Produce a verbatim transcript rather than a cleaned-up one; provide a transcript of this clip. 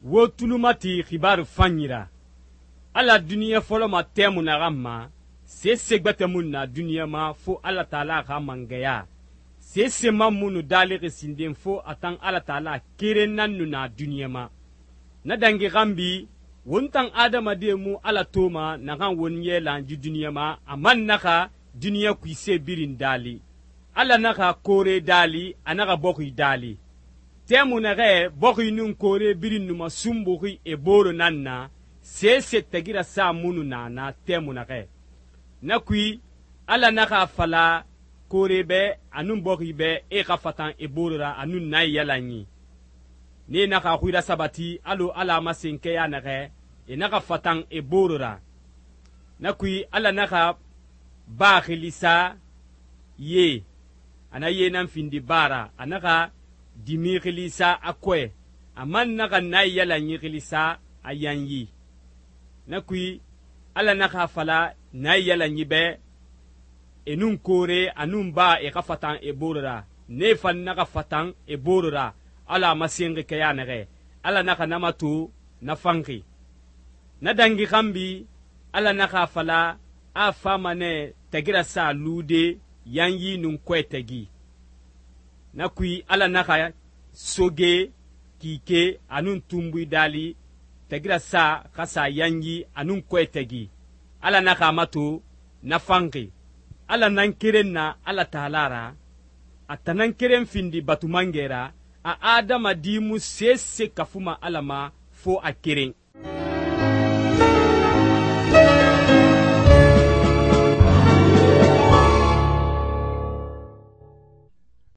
wo tulu mati xibaaru fanyi ra. Ala duniɲa fɔlɔ ma tɛmui naxan ma, sese gbɛtɛ mu na duniɲa ma fo Ala Taala xa mangɛya. Sese man mu nu daalixi sinden fo a tan Ala Taala keren nan nu na duniɲa ma. Na dangi xanbi, won tan adamadie mu Ala toma naxan won yɛlan yi duniɲa ma, a man naxa duniɲa kuise birin daali. Ala naxa koore daali, a naxa bɔxi daali. Tɛmui naxɛ bɔxi nun koore birin nu ma sunbuxi e booro nan na, sese tagira sa mu nu na na tɛmui naxɛ. Na kui, Ala naxa fala koore bɛ a nun bɔxi bɛ e xa fatan e booro ra a nun na yalanyi. Ne naxa xui rasabati alɔ Ala masen kɛya naxɛ, e naxa fatan e booro ra. Na kui, Ala naxa baa xili sa ye, a na ye nan findi baa ra, a naxa dimi xili sa a kɔɛ, a man naxa na yalanyi xili sa a yanyi. Na kui, Ala naxa fala na yalanyi bɛ e nun koore a nun baa e xa fatan e booro ra, ne fan naxa fatan e booro ra Ala masenxi kɛya naxɛ. Ala naxa na mato na fanxi. Na dangi xanbi, Ala naxa fala a fama nɛ tagira sa lude yanyi nun kɔɛ tagi. Na kui, Ala naxa soge kike a nun tunbui daali tagira sa xa sa yanyi a nun kɔɛ tagi. Ala naxa mato na fanxi. Ala nan keren na Ala Taala ra, a tan nan keren findi batumangɛ ra, a adamadi mu sese kafuma Ala ma fo a keren.